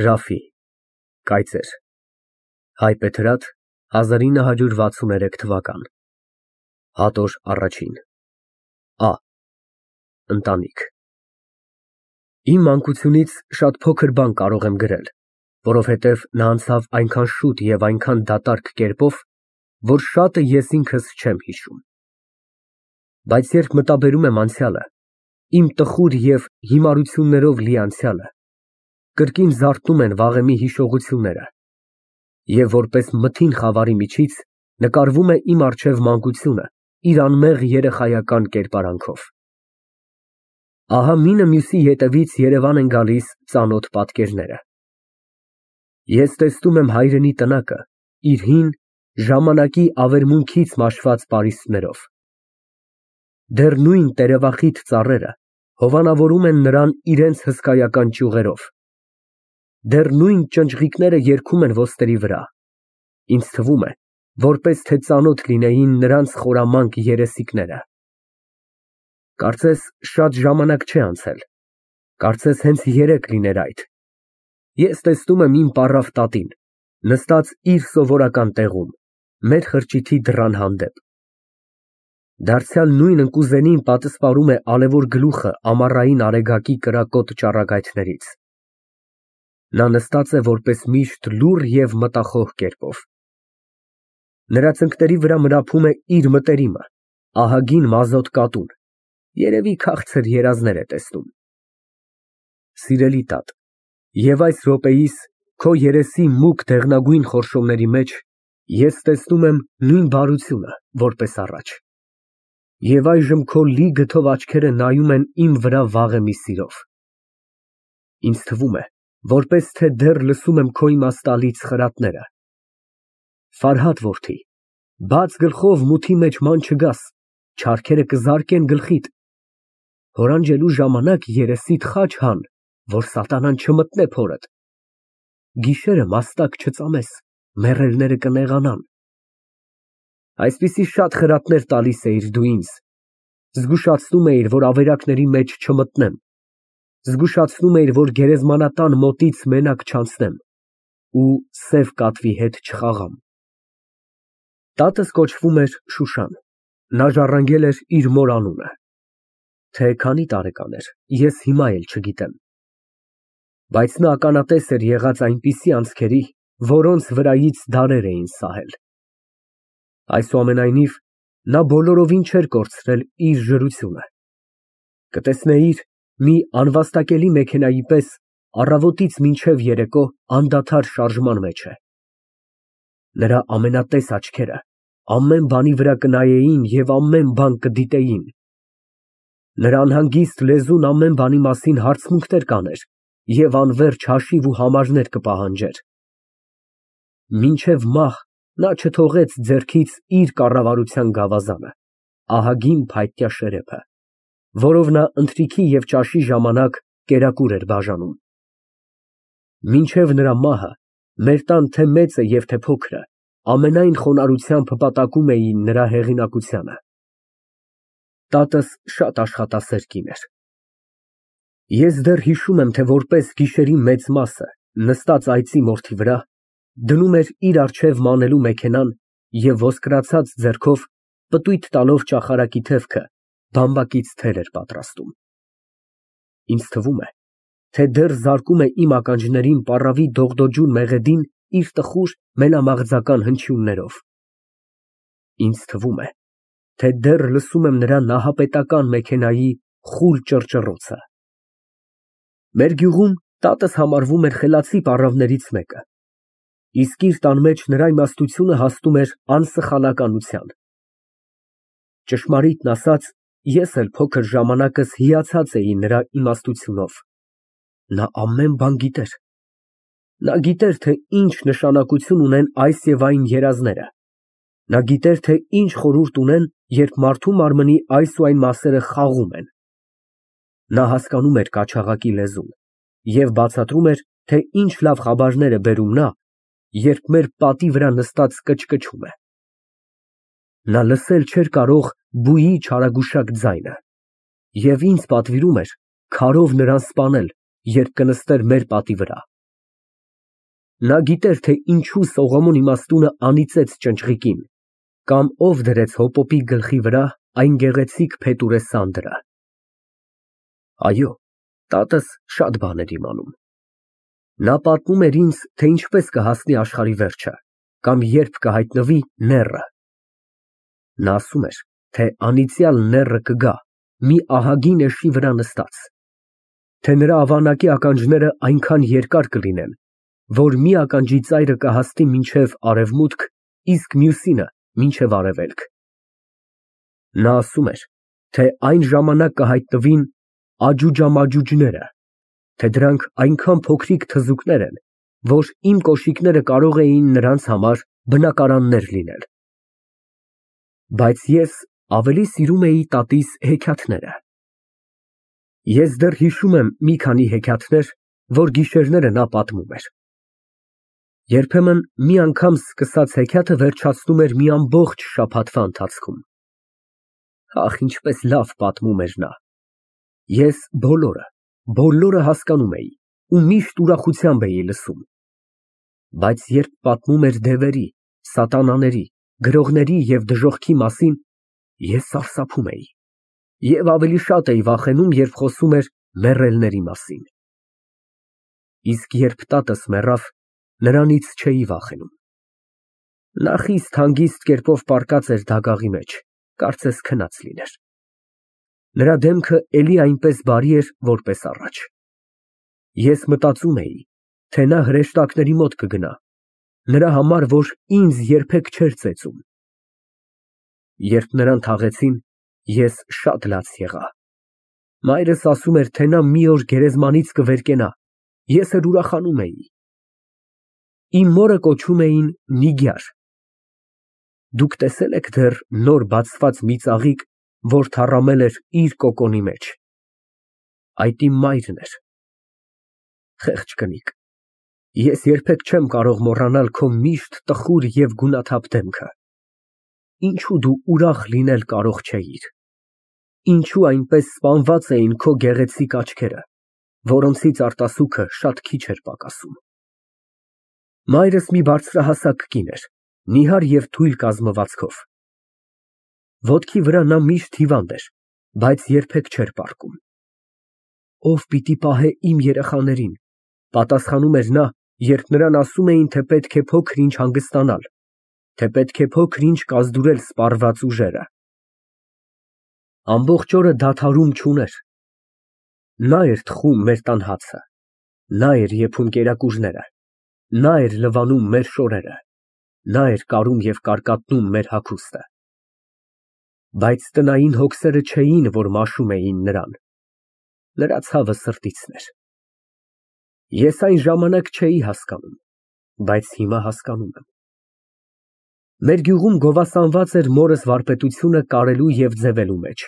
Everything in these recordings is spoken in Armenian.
Ռաֆի Կայծեր Հայբեթրատ 1963 թվական Հատոր առաջին Ա Ընտանիք Իմ մանկությունից շատ փոքր բան կարող եմ գրել, որովհետև նա անցավ այնքան շուտ և այնքան դատարկ կերպով, որ շատը ես ինքս չեմ հիշում։ Բայց երբ մտաբերում եմ անցյալը, իմ տխուր և հիմարություններով լի անցյալը, կրկին զարթնում են վաղեմի հիշողությունները, և որպես մթին խավարի միջից նկարվում է իմ առջև մանկությունը իր անմեղ երեխայական կերպարանքով։ Ահա մինը մյուսի ետևից երևան են գալիս ծանոթ պատկերները։ Ես տեսնում եմ հայրենի տնակը իր հին, ժամանակի ավերմունքից մաշված պարիսպներով։ Դեռ նույն տերևախիտ ծառերը հովանավորում են նրան իրենց հսկայական ճյուղերով։ Դեռ նույն ճնճղիկները երգում են ոսկերի վրա, ինձ թվում է, որպես թե ծանոթ լինեին նրանց խորամանկ երեսիկները։ Կարծես շատ ժամանակ չէ անցել, կարծես հենց երեկ լիներ այդ։ Ես տեսնում եմ իմ պառավ տատին, նստած իր սովորական տեղում, մեր խրճիթի դռան հանդեպ։ Դարձյալ նույն ընկուզենին պատսպարում է ալևոր գլուխը ամառային արեգակի կրակոտ ճառագայթներից։ Նա նստած է որպես միշտ լուռ և մտախոհ կերպով։ Նրա ծնկների վրա մրափում է իր մտերիմը, ահագին մազոտ կատուն, երևի քաղցր երազներ է տեսնում։ Սիրելի տատ, և այս րոպեիս քո երեսի մուգ դեղնագույն խորշոմների մեջ ես տեսնում եմ նույն բարությունը, որպես առաջ։ Եվ այժմ քո լի գթով աչքերը նայում են իմ վրա վաղեմի սիրով։ Ինձ թվում է, որպես թե դեռ լսում եմ քո իմաստալից խրատները։ Ֆարհադ որդի, բաց գլխով մութի մեջ ման չգաս, չարքերը կզարկեն գլխիդ։ Հորանջելու ժամանակ երեսիդ խաչ հան, որ սատանան չմտնե փորդ։ Գիշերը մաստակ չծամես, մեռելները կնեղանան։ Այսպիսի շատ խրատներ տալիս էիր դու ինձ, զգուշացնում էիր, որ ավերակների մեջ չմտնեմ, զգուշացնում էիր, որ գերեզմանատան մոտից մենակ չանցնեմ ու սև կատվի հետ չխաղամ։ Տատս կոչվում էր Շուշան, նա ժառանգել էր իր մոր անունը։ Թե քանի տարեկան էր, ես հիմա էլ չգիտեմ։ Բայց նա ականատես էր եղած այնպիսի անցքերի, որոնց վրայից դարեր էին սահել։ Այսուամենայնիվ, նա բոլորովին չէր կորցրել իր ժրությունը։ Կտեսնեիր, մի անվաստակելի մեքենայի պես առավոտից մինչև երեկո անդադար շարժման մեջ է։ Նրա ամենատես աչքերը ամեն բանի վրա կնայեին և ամեն բան կդիտեին։ Նրա անհանգիստ լեզուն ամեն բանի մասին հարցմունքներ կաներ և անվերջ հաշիվ ու համարներ կպահանջեր։ Մինչև մահ նա չթողեց ձեռքից իր կառավարության գավազանը, ահագին փայտյա շերեփը, որով նա ընթրիքի և ճաշի ժամանակ կերակուր էր բաժանում։ Մինչև նրա մահը մեր տան թե մեծը և թե փոքրը ամենայն խոնարհությամբ հպատակում էին նրա հեղինակությանը։ Տատս շատ աշխատասեր կին էր։ Ես դեռ հիշում եմ, թե որպես գիշերի մեծ մասը, նստած այծի մորթի վրա, դնում էր իր առջև մանելու մեքենան և ոսկրացած ձեռքով պտույտ տալով ճախարակի թևքը, բամբակից թել էր պատրաստում։ Ինձ թվում է, թե դեռ զարկում է իմ ականջներին պառավի դողդոջուն մեղեդին իր տխուր մենամաղձական հնչյուններով։ Ինձ թվում է, թե դեռ լսում եմ նրա նահապետական մեքենայի խուլ ճռճռոցը։ Մեր գյուղում տատս համարվում էր խելացի պառավներից մեկը, իսկ իր տան մեջ նրա իմաստությունը հասնում էր անսխալականության։ Ճշմարիտն ասած, ես էլ փոքր ժամանակս հիացած էի նրա իմաստությունով։ Նա ամեն բան գիտեր։ Նա գիտեր, թե ինչ նշանակություն ունեն այս և այն երազները։ Նա գիտեր, թե ինչ խորհուրդ ունեն, երբ մարդու մարմնի այս ու այն մասերը խաղում են։ Նա հասկանում էր կաչաղակի լեզուն և բացատրում էր, թե ինչ լավ խաբարներ է բերում նա, երբ մեր պատի վրա նստած կչկչում է։ Նա լսել չէր կարող բուի չարագուշակ ձայնը և ինձ պատվիրում էր քարով նրան սպանել, երբ կնստեր մեր պատի վրա։ Նա գիտեր, թե ինչու Սողոմոն իմաստունը անիծեց ճնճղիկին, կամ ով դրեց հոպոպի գլխի վրա այն գեղեցիկ փետուրե սանդրը։ Այո, տատս շատ բան էր իմանում։ Նա պատմում էր ինձ, թե ինչպես կհասնի աշխարհի վերջը, կամ երբ կհայտնվի նեռը։ Նա ասում էր, թե անիծյալ նեռը կգա մի ահագին էշի վրա նստած, թե նրա ավանակի ականջները այնքան երկար կլինեն, որ մի ականջի ծայրը կհասնի մինչև արևմուտք, իսկ մյուսինը մինչև արևելք։ Նա ասում էր, թե այն ժամանակ կհայտնվին աջուջամաջուջները, թե դրանք այնքան փոքրիկ թզուկներ են, որ իմ կոշիկները կարող էին նրանց համար բնակարաններ լինել։ Բայց ես ավելի սիրում էի տատիս հեքիաթները։ Ես դեռ հիշում եմ մի քանի հեքիաթներ, որ գիշերները նա պատմում էր։ Երբեմն մի անգամ սկսած հեքիաթը վերջացնում էր մի ամբողջ շաբաթվա ընթացքում։ Ախ, ինչպես լավ պատմում էր նա։ Ես բոլորը հասկանում էի ու միշտ ուրախությամբ էի լսում։ Բայց երբ պատմում էր դևերի, սատանաների, գրողների և դժոխքի մասին, ես սարսափում էի և ավելի շատ էի վախենում, երբ խոսում էր մեռելների մասին։ Իսկ երբ տատս մեռավ, նրանից չէի վախենում։ Նա խիստ հանգիստ կերպով պառկած էր դագաղի մեջ, կարծես քնած լիներ։ Նրա դեմքը էլի այնպես բարի էր, որպես առաջ։ Ես մտածում էի, թե նա հրեշտակների մոտ կգնա, նրա համար, որ ինձ երբեք չէր ծեծում։ Երբ նրան թաղեցին, ես շատ լաց եղա։ Մայրս ասում էր, թե նա մի օր գերեզմանից կվերկենա, ես էլ ուրախանում էի։ Իմ մորը կոչում էին Նիգյար։ Դուք տեսե՞լ եք դեռ նոր բացված մի ծաղիկ, որ թառամել էր իր կոկոնի մեջ։ Այդ իմ մայրն էր։ Խեղճ կնիկ, ես երբեք չեմ կարող մոռանալ քո միշտ տխուր և գունաթափ դեմքը։ Ինչու դու ուրախ լինել կարող չէիր։ Ինչու այնպես սպանված էին քո գեղեցիկ աչքերը, որոնցից արտասուքը շատ քիչ էր պակասում։ Մայրս մի բարձրահասակ կին էր, նիհար և թույլ կազմվածքով։ Ոտքի վրա նա միշտ հիվանդ էր, բայց երբեք չէր պառկում։ Ով պիտի պահե իմ երեխաներին, պատասխանում էր նա, երբ նրան ասում էին, թե պետք է փոքր ինչ հանգստանալ, թե պետք է փոքր ինչ կազդուրել սպառված ուժերը։ Ամբողջ օրը դադարում չուներ։ Նա էր թխում մեր տան հացը, նա էր եփում կերակուրները, նա էր լվանում մեր շորերը, նա էր կարում և կարկատնում մեր հագուստը։ Բայց տնային հոգսերը չէին, որ մաշում էին նրան։ Նրա ցավը սրտիցն էր։ Ես այն ժամանակ չէի հասկանում, բայց հիմա հասկանում եմ։ Մեր գյուղում գովասանված էր մորս վարպետությունը կարելու և ձևելու մեջ,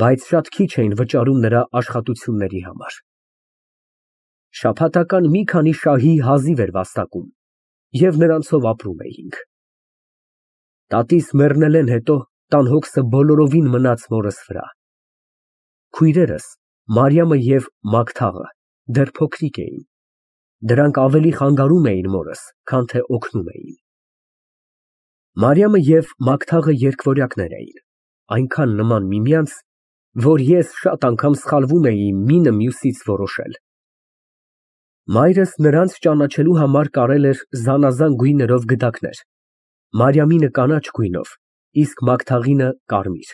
բայց շատ քիչ էին վճարում նրա աշխատությունների համար։ Շաբաթական մի քանի շահի հազիվ էր վաստակում, և նրանցով ապրում էինք։ Տատիս մեռնելեն հետո տան հոգսը բոլորովին մնաց մորս վրա։ Քույրերս, Մարիամը և Մագդաղը, դեռ փոքրիկ էին։ Դրանք ավելի խանգարում էին մորս, քան թե օգնում էին։ Մարիամը և Մագդաղը երկվորյակներ էին, այնքան նման միմյանց, որ ես շատ անգամ սխալվում էի մինը մյուսից որոշել։ Մայրս նրանց ճանաչելու համար կարել էր զանազան գույներով գդակներ, Մարիամինը կանաչ գույնով, իսկ Մագդաղինը կարմիր։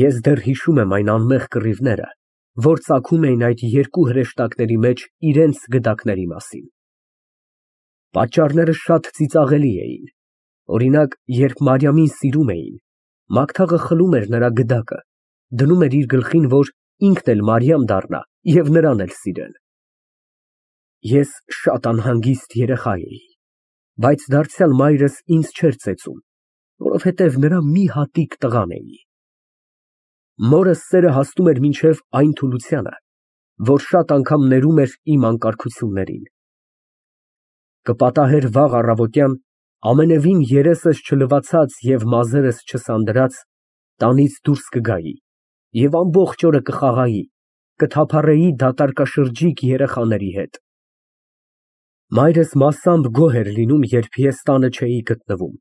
Ես դեռ հիշում եմ այն անմեղ կռիվները, որ ծագում էին այդ երկու հրեշտակների մեջ իրենց գդակների մասին։ Պատճառները շատ ծիծաղելի էին։ Օրինակ, երբ Մարիամին սիրում էին, Մագդաղը խլում էր նրա գդակը, դնում էր իր գլխին, որ ինքն էլ Մարիամ դառնա և նրան էլ սիրել։ Ես շատ անհանգիստ երեխա էի, բայց դարձյալ մայրս ինձ չէր ծեծում, որովհետև նրա մի հատիկ տղան էի։ Մորս սերը հասնում էր մինչև այն թուլությանը, որ շատ անգամ ներում էր իմ անկարգություններին։ Կպատահեր վաղ առավոտյան, ամենևին երեսս չլվացած և մազերս չսանդրած, տանից դուրս կգայի և ամբողջ օրը կխաղայի, կթափառեի դատարկաշրջիկ երեխաների հետ։ Մայրս մասամբ գոհ էր լինում, երբ ես տանը չէի գտնվում,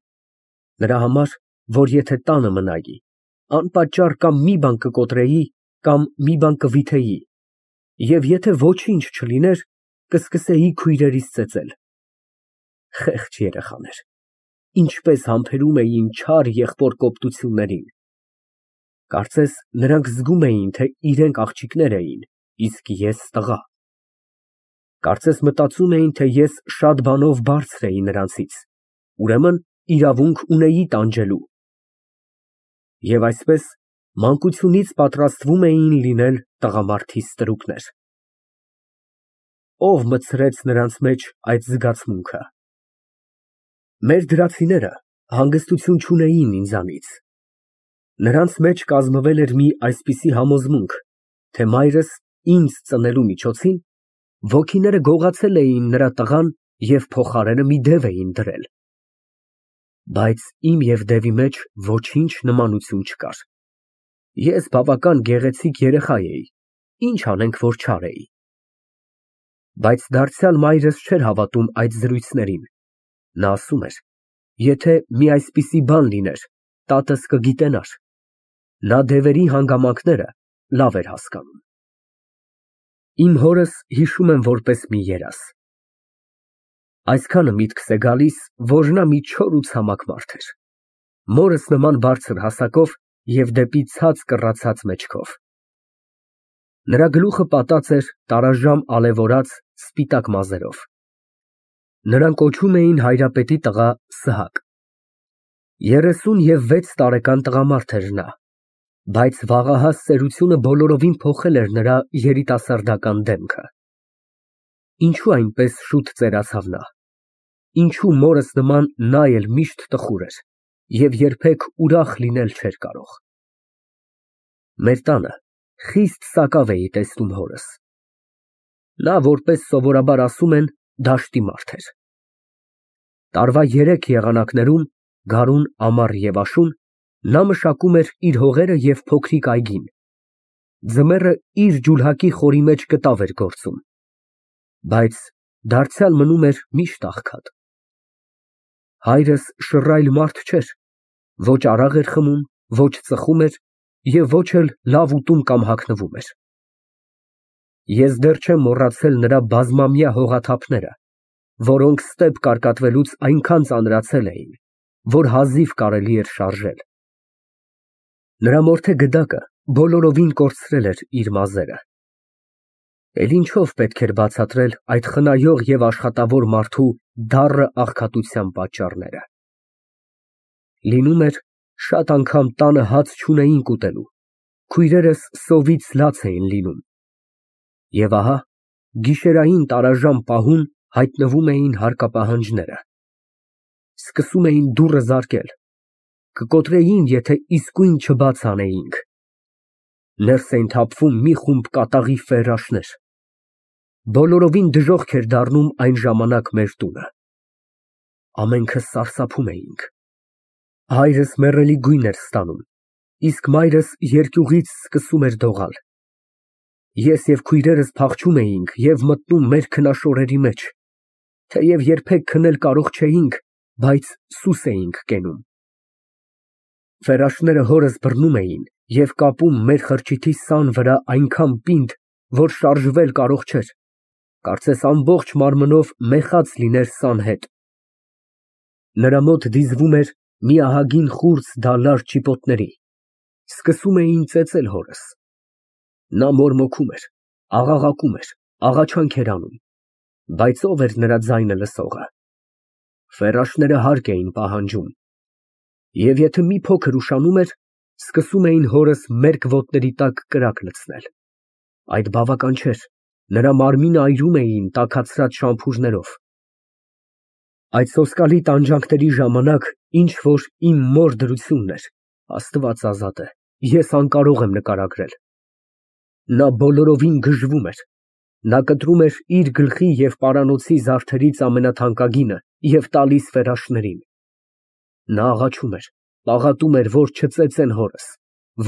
նրա համար, որ եթե տանը մնայի, անպատճառ կամ մի բան կկոտրեի, կամ մի բան կվիթեի, և եթե ոչինչ չլիներ, կսկսեի քույրերիս ծեծել։ Խեղճ երեխաներ, ինչպես համբերում էին չար եղբոր կոպտություններին։ Կարծես նրանք զգում էին, թե իրենք աղջիկներ էին, իսկ ես տղա։ Կարծես մտածում էին, թե ես շատ բանով բարձր էի նրանցից, ուրեմն իրավունք ունեի տանջելու։ Եվ այսպես մանկությունից պատրաստվում էին լինել տղամարդի ստրուկներ։ Ո՞վ մտցրեց նրանց մեջ այդ զգացմունքը։ Մեր դրացիները հանգստություն չունեին ինձանից։ Նրանց մեջ կազմվել էր մի այսպիսի համոզմունք, թե մայրս ինձ ծնելու միջոցին ոգիները գողացել էին նրա տղան և փոխարենը մի դև էին դրել։ Բայց իմ և դևի մեջ ոչինչ նմանություն չկար։ Ես բավական գեղեցիկ երեխա էի, ինչ անենք, որ չար էի։ Բայց դարձյալ մայրս չէր հավատում այդ զրույցներին։ Նա ասում էր, եթե մի այսպիսի բան լիներ, տատս կգիտենար։ Նա դևերի հանգամանքները լավ էր հասկանում։ Իմ հորս հիշում եմ որպես մի երազ։ Այսքանը միտքս է գալիս, որ նա մի չոր ու ցամաք մարդ էր, մորս նման բարձր հասակով և դեպի ցած կռացած մեջքով։ Նրա գլուխը պատած էր տարաժամ ալևորած սպիտակ մազերով։ Նրան կոչում էին հայրապետի տղա Սահակ։ 36 տարեկան տղամարդ էր նա, բայց վաղահաս ծերությունը բոլորովին փոխել էր նրա երիտասարդական դեմքը։ Ինչու այնպես շուտ ծերացավ նա։ Ինչու մորս նման նա էլ միշտ տխուր էր և երբեք ուրախ լինել չէր կարող։ Մեր տանը խիստ սակավ էի տեսնում հորս։ Նա, որպես սովորաբար ասում են, դաշտի մարդ էր։ Տարվա 3 եղանակներում, գարուն, ամառ և աշուն, նա մշակում էր իր հողերը և փոքրիկ այգին, ձմեռը իր ջուլհակի խորի մեջ կտավ էր գործում, բայց դարձյալ մնում էր միշտ աղքատ։ Հայրս շռայլ մարդ չէր, ոչ արաղ էր խմում, ոչ ծխում էր և ոչ էլ լավ ուտում կամ հագնվում էր։ Ես դեռ չեմ մոռացել նրա բազմամյա հողաթափները, որոնք ստեպ կարկատվելուց այնքան ծանրացել էին, որ հազիվ կարելի էր շարժել։ Նրա մորթե գդակը բոլորովին կորցրել էր իր մազերը։ Էլ ինչով պետք էր բացատրել այդ խնայող և աշխատավոր մարդու դառը աղքատության պատճառները։ Լինում էր, շատ անգամ տանը հաց չունեինք ուտելու, քույրերս սովից լաց էին լինում։ Եվ ահա, գիշերային տարաժամ պահուն հայտնվում էին հարկապահանջները։ Սկսում էին դուռը զարկել, կկոտրեին, եթե իսկույն չբաց անեինք։ Ներս էին թափվում մի խումբ կատաղի ֆերաշներ։ Բոլորովին դժոխք էր դառնում այն ժամանակ մեր տունը։ Ամենքս սարսափում էինք։ Հայրս մեռելի գույն էր ստանում, իսկ մայրս երկյուղից սկսում էր դողալ։ Ես և քույրերս փախչում էինք և մտնում մեր քնաշորերի մեջ, թեև երբեք քնել կարող չէինք, բայց սուս էինք կենում։ Ֆերաշները հորս բռնում էին և կապում մեր խրճիթի սան վրա այնքան պինդ, որ շարժվել կարող չէր, կարծես ամբողջ մարմնով մեխած լիներ սան հետ։ Նրա մոտ դիզվում էր մի ահագին խուրձ դալար ճիպոտների, սկսում էին ծեծել հորս։ Նա մորմոքում էր, աղաղակում էր, աղաչանք էր անում, բայց ո՞վ էր նրա ձայնը լսողը։ Ֆերաշները հարկ էին պահանջում։ Եվ եթե մի փոքր ուշանում էր, սկսում էին հորս մերկ ոտների տակ կրակ լցնել։ Այդ բավական չէր, նրա մարմինը այրում էին տաքացրած շամփուրներով։ Այդ սոսկալի տանջանքների ժամանակ ինչ որ իմ մոր դրությունն էր, Աստված ազատ է, ես անկարող եմ նկարագրել։ Նա բոլորովին գժվում էր։ Նա կտրում էր իր գլխի և պարանոցի զարդերից ամենաթանկագինը և տալիս ֆերաշներին։ Նա աղաչում էր, պաղատում էր, որ չծեծեն հորս,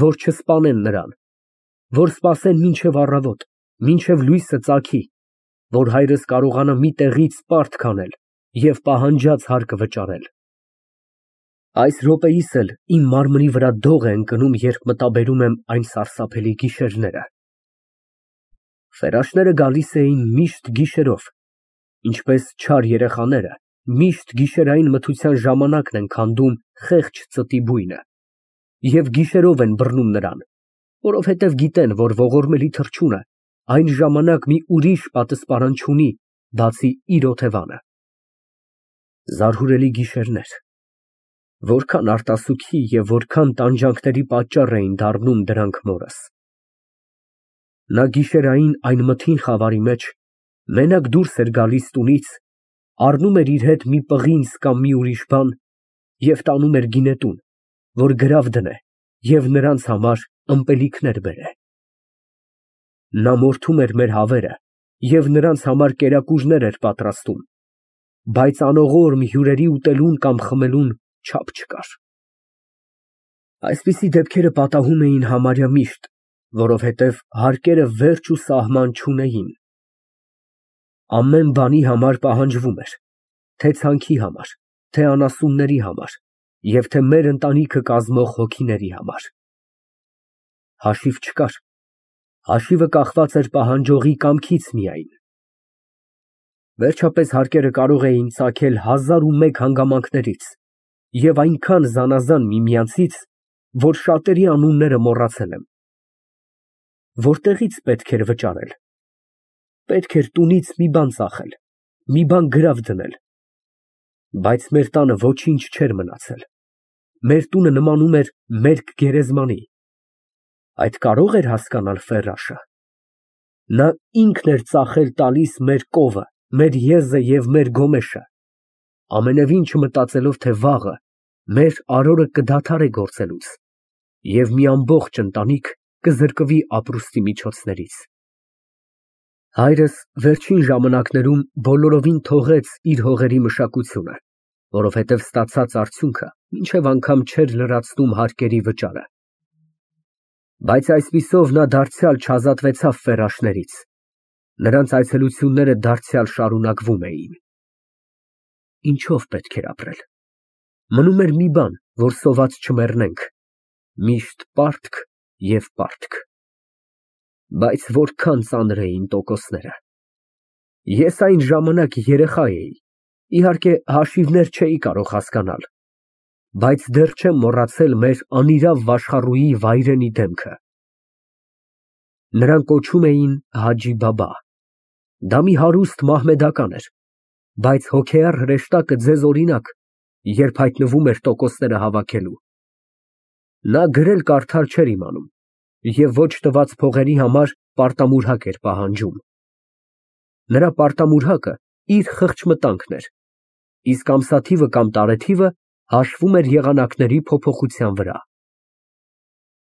որ չսպանեն նրան, որ սպասեն մինչև առավոտ, մինչև լույսը ծագի, որ հայրս կարողանա մի տեղից պարտք անել և պահանջած հարկը վճարել։ Այս րոպեիս էլ իմ մարմնի վրա դող է ընկնում, երբ մտաբերում եմ այն սարսափելի գիշերները։ Ֆերաշները գալիս էին միշտ գիշերով, ինչպես չար երեխաները միշտ գիշերային մթության ժամանակն են քանդում խեղճ ծտի բույնը և գիշերով են բռնում նրան, որովհետև գիտեն, որ ողորմելի թռչունը այն ժամանակ մի ուրիշ պատասպարան չունի, բացի իր օթևանը։ Զարհուրելի գիշերներ, որքան արտասուքի և որքան տանջանքների պատճառ էին դառնում դրանք մորս։ Նա գիշերային այն մթին խավարի մեջ մենակ դուրս էր գալիս տունից, առնում էր իր հետ մի պղինձ կամ մի ուրիշ բան և տանում էր գինետուն, որ գրավ դնե և նրանց համար ըմպելիքներ բերե։ Նա մորթում էր մեր հավերը և նրանց համար կերակուրներ էր պատրաստում, բայց անողորմ հյուրերի ուտելուն կամ խմելուն չափ չկար։ Այսպիսի դեպքերը պատահում էին համարյա միշտ, որովհետև հարկերը վերջ ու սահման չունեին։ Ամեն բանի համար պահանջվում էր, թե ցանքի համար, թե անասունների համար և թե մեր ընտանիքը կազմող հոգիների համար։ Հաշիվ չկար, հաշիվը կախված էր պահանջողի կամքից միայն։ Վերջապես հարկերը կարող էին ծագել 1001 հանգամանքներից և այնքան զանազան միմյանցից, որ շատերի անունները մոռացել եմ։ Որտեղի՞ց պետք էր վճարել։ Պետք էր տունից մի բան ծախել, մի բան գրավ դնել։ Բայց մեր տանը ոչինչ չէր մնացել։ Մեր տունը նմանում էր մերկ գերեզմանի։ Այդ կարո՞ղ էր հասկանալ Ֆերաշը։ Նա ինքն էր ծախել տալիս մեր կովը, մեր եզը և մեր գոմեշը, ամենևին չմտածելով, թե վաղը մեր արորը կդադարե գործելուց, և մի ամբողջ ընտանիք կզրկվի ապրուստի միջոցներից։ Հայրս վերջին ժամանակներում բոլորովին թողեց իր հողերի մշակությունը, որովհետև ստացած արդյունքը մինչև անգամ չէր լրացնում հարկերի վճարը։ Բայց այսպիսով նա դարձյալ չազատվեցավ ֆերաշներից, նրանց այցելությունները դարձյալ շարունակվում էին։ Ինչով պետք էր ապրել։ Մնում էր մի բան, որ սոված չմեռնենք, միշտ պարտք և պարտք։ Բայց որքան ծանր էին տոկոսները։ Ես այն ժամանակ երեխա էի, իհարկե հաշիվներ չէի կարող հասկանալ, բայց դեռ չեմ մոռացել մեր անիրավ վաշխառուի վայրենի դեմքը։ Նրան կոչում էին Հաջի բաբա։ Դա մի հարուստ մահմեդական էր, բայց հոգեառ հրեշտակը ձեզ օրինակ, երբ հայտնվում էր տոկոսները հավաքելու։ Նա գրել֊կարդալ չէր իմանում և ոչ տված փողերի համար պարտամուրհակ էր պահանջում։ Նրա պարտամուրհակը իր խղճմտանքն էր, իսկ ամսաթիվը կամ տարեթիվը հաշվում էր եղանակների փոփոխության վրա։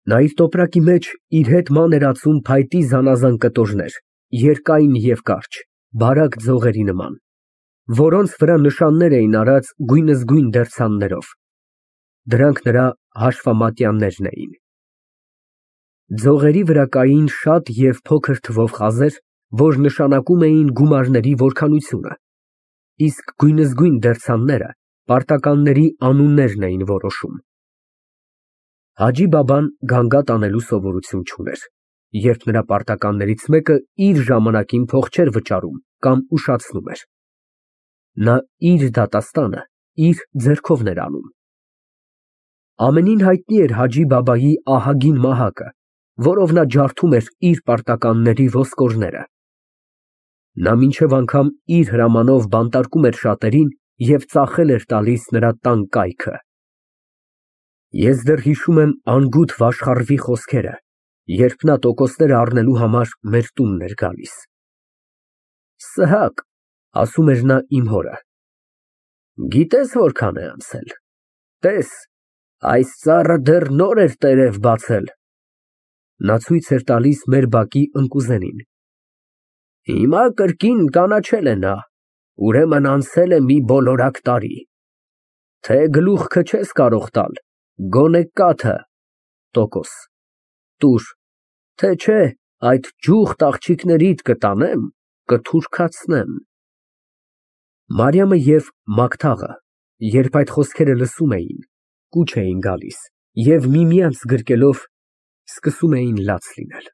Նա իր տոպրակի մեջ իր հետ ման էր ածում փայտի զանազան կտորներ, երկայն և կարճ, բարակ ձողերի նման, որոնց վրա նշաններ էին արած գույնզգույն դերձաններով։ Դրանք նրա հաշվամատյաններն էին։ Ձողերի վրա կային շատ և փոքր թվով խազեր, որ նշանակում էին գումարների որքանությունը, իսկ գույնզգույն դերձանները պարտականների անուններն էին որոշում։ Հաջի բաբան գանգատ անելու սովորություն չուներ, երբ նրա պարտականներից մեկը իր ժամանակին փող չէր վճարում կամ ուշացնում էր։ Նա իր դատաստանը իր ձեռքովն էր անում։ Ամենին հայտնի էր Հաջի բաբայի ահագին մահակը, որով նա ջարդում էր իր պարտականների ոսկորները։ Նա մինչև անգամ իր հրամանով բանտարկում էր շատերին և ծախել էր տալիս նրա տան կայքը։ Ես դեռ հիշում եմ անգութ վաշխառվի խոսքերը, երբ նա տոկոսները առնելու համար մեր տունն էր գալիս։ Սըհակ, ասում էր նա իմ հորը, գիտե՞ս որքան է անցել, տես, այս ծառը դեռ նոր էր տերև բացել։ Նա ցույց էր տալիս մեր բակի ընկուզենին։ Հիմա կրկին կանաչել է նա, ուրեմն անցել է մի բոլորակ տարի։ Թե գլուխքը չես կարող տալ, գոնե կաթը տուր, թե չէ այդ ջուղթ աղջիկներիդ կտանեմ, կթուրքացնեմ։ Մարիամը և Մագթաղը, երբ այդ խոսքերը լսում էին, կուչ էին գալիս և միմյանց գրկելով սկսում էին լաց լինել։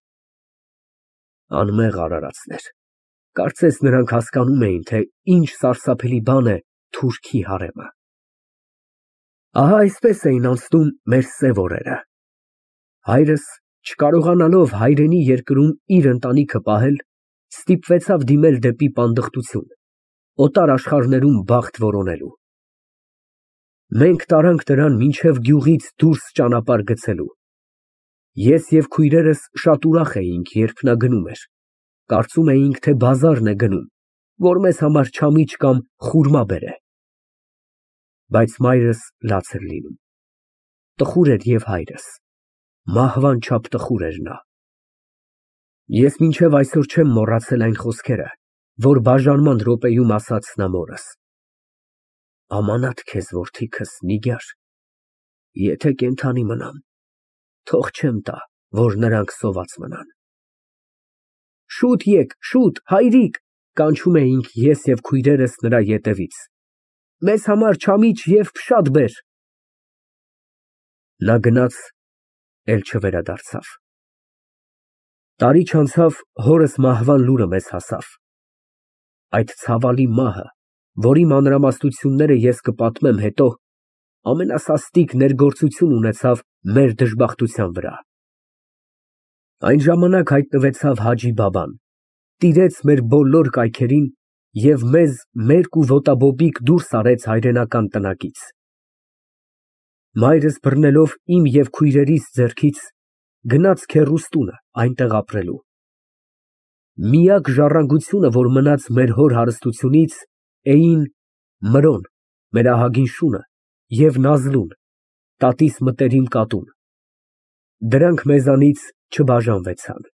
Անմեղ արարածներ, կարծես նրանք հասկանում էին, թե ինչ սարսափելի բան է թուրքի հարեմը։ Ահա այսպես էին անցնում մեր սև օրերը։ Հայրս, չկարողանալով հայրենի երկրում իր ընտանիքը պահել, ստիպվեցավ դիմել դեպի պանդխտություն, օտար աշխարհներում բախտ որոնելու։ Մենք տարանք նրան մինչև գյուղից դուրս ճանապարհ գցելու։ Ես և քույրերս շատ ուրախ էինք, երբ նա գնում էր, կարծում էինք, թե բազարն է գնում, որ մեզ համար չամիչ կամ խուրմա բերե։ Բայց մայրս լաց էր լինում։ Տխուր էր և հայրս, մահվան չափ տխուր էր նա։ Ես մինչև այսօր չեմ մոռացել այն խոսքերը, որ բաժանման րոպեում ասաց նա մորս. «Ամանաթ քեզ, որդիքս, Նիգար, եթե կենդանի մնամ, թող չեմ տա, որ նրանք սոված մնան»։ Շուտ եկ, շուտ, հայրիկ, կանչում էինք ես և քույրերս նրա ետևից, մեզ համար չամիչ և փշատ բեր։ Նա գնաց, էլ չվերադարձավ։ Տարի չանցավ, հորս մահվան լուրը մեզ հասավ։ Այդ ցավալի մահը, որի մանրամասնությունները ես կպատմեմ հետո, ամենասաստիկ ներգործություն ունեցավ մեր դժբախտության վրա։ Այն ժամանակ հայտնվեցավ Հաջի բաբան, տիրեց մեր բոլոր կայքերին և մեզ մերկ ու ոտաբոբիկ դուրս արեց հայրենական տնակից։ Մայրս բռնելով իմ և քույրերիս ձեռքից, գնաց քեռուս տունը այնտեղ ապրելու։ Միակ ժառանգությունը, որ մնաց մեր հոր հարստությունից, էին Մրոն, մեր ահագին շունը, և Նազլուն, տատիս մտերիմ կատուն։ Դրանք մեզանից չբաժանվեցան։